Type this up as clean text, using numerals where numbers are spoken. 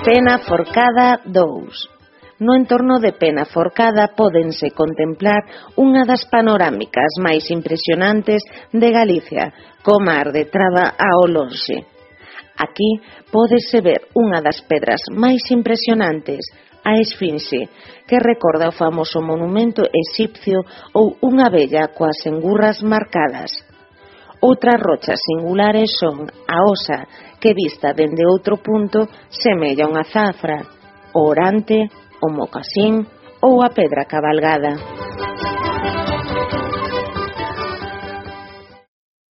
Penaforcada 2. No entorno de Penaforcada pódense contemplar unha das panorámicas máis impresionantes de Galicia, co mar de Traba ao lonxe. Aquí pódese ver unha das pedras máis impresionantes, a Esfinxe, que recorda o famoso monumento exipcio ou unha vella coas engurras marcadas. Outras rochas singulares son a Osa, que vista dende outro punto semella unha zafra, o Orante, o Mocasín ou a Pedra Cabalgada.